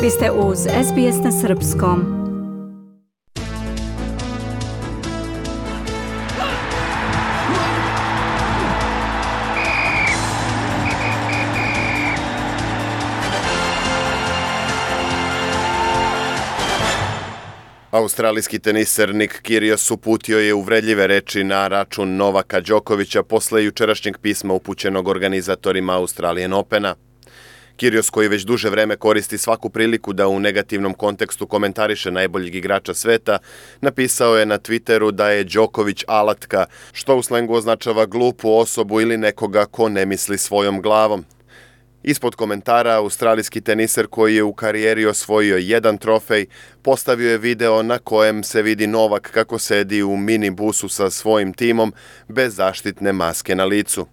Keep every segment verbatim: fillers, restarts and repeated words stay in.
Vi ste uz S B S na srpskom. Australijski teniser Nick Kyrgios uputio je uvredljive reči na račun Novaka Đokovića posle jučerašnjeg pisma upućenog organizatorima Australian Opena. Kyrgios, koji već duže vreme koristi svaku priliku da u negativnom kontekstu komentariše najboljeg igrača sveta, napisao je na Twitteru da je Đoković alatka, što u slengu označava glupu osobu ili nekoga ko ne misli svojom glavom. Ispod komentara, australijski teniser koji je u karijeri osvojio jedan trofej, postavio je video na kojem se vidi Novak kako sedi u minibusu sa svojim timom bez zaštitne maske na licu.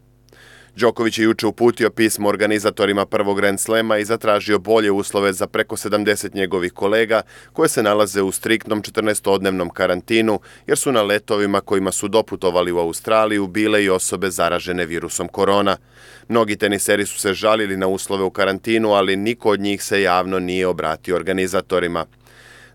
Đoković je juče uputio pismo organizatorima prvog Grand Slema i zatražio bolje uslove za preko sedamdeset njegovih kolega koje se nalaze u striktnom četrnaestodnevnom karantinu jer su na letovima kojima su doputovali u Australiju bile i osobe zaražene virusom korona. Mnogi teniseri su se žalili na uslove u karantinu, ali niko od njih se javno nije obratio organizatorima.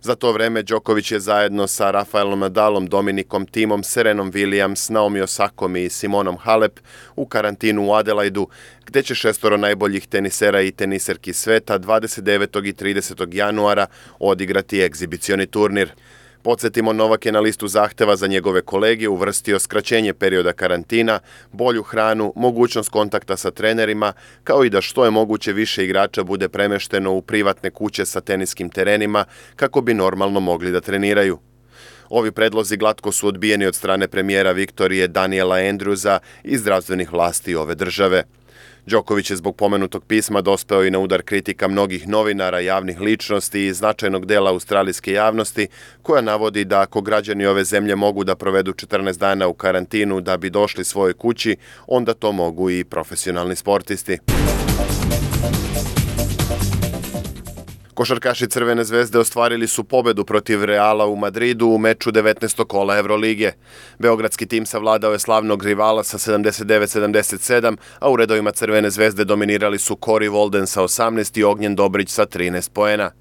Za to vreme Đoković je zajedno sa Rafaelom Nadalom, Dominikom Thiem, Serenom Williams, Naomi Osakom i Simonom Halep u karantinu u Adelaidu, gde će šestoro najboljih tenisera i teniserki sveta dvadeset devetog i tridesetog januara odigrati egzibicioni turnir. Podsjetimo, Novak je na listu zahteva za njegove kolege uvrstio skraćenje perioda karantina, bolju hranu, mogućnost kontakta sa trenerima, kao i da što je moguće više igrača bude premešteno u privatne kuće sa teniskim terenima kako bi normalno mogli da treniraju. Ovi predlozi glatko su odbijeni od strane premijera Viktorije Daniela Andrewsa i zdravstvenih vlasti ove države. Đoković je zbog pomenutog pisma dospeo i na udar kritika mnogih novinara, javnih ličnosti i značajnog dela australijske javnosti, koja navodi da ako građani ove zemlje mogu da provedu četrnaest dana u karantinu da bi došli svojoj kući, onda to mogu i profesionalni sportisti. Košarkaši Crvene zvezde ostvarili su pobedu protiv Reala u Madridu u meču devetnaestog kola Evrolige. Beogradski tim savladao je slavnog rivala sa sedamdeset devet sedamdeset sedam, a u redovima Crvene zvezde dominirali su Corey Walden sa osamnaest i Ognjen Dobrić sa trinaest poena.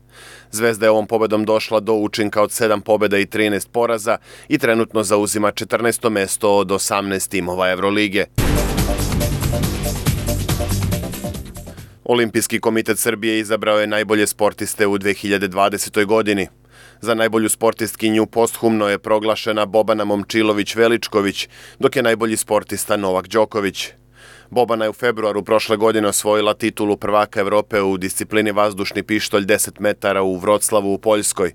Zvezda je ovom pobedom došla do učinka od sedam pobeda i trinaest poraza i trenutno zauzima četrnaesto mesto od osamnaest timova Evrolige. Olimpijski komitet Srbije izabrao je najbolje sportiste u dve hiljade dvadesetoj. godini. Za najbolju sportistkinju posthumno je proglašena Bobana Momčilović-Veličković, dok je najbolji sportista Novak Đoković. Bobana je u februaru prošle godine osvojila titulu prvaka Evrope u disciplini vazdušni pištolj deset metara u Vroclavu u Poljskoj.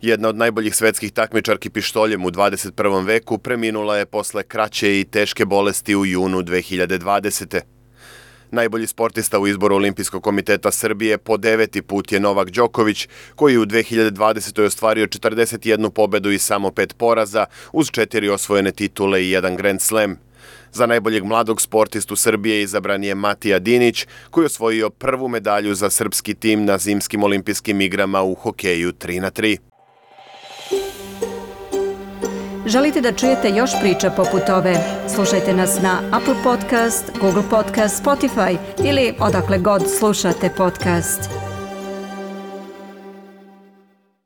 Jedna od najboljih svetskih takmičarki pištoljem u dvadeset prvom veku preminula je posle kraće i teške bolesti u junu dve hiljade dvadesete. Najbolji sportista u izboru Olimpijskog komiteta Srbije po deveti put je Novak Đoković, koji u dve hiljade dvadesetoj. ostvario četrdeset jednu pobedu i samo pet poraza, uz četiri osvojene titule i jedan Grand Slam. Za najboljeg mladog sportistu Srbije izabran je Matija Dinić, koji je osvojio prvu medalju za srpski tim na zimskim olimpijskim igrama u hokeju tri na tri. Želite da čujete još priča poput ove? Slušajte nas na Apple Podcast, Google Podcast, Spotify ili odakle god slušate podcast.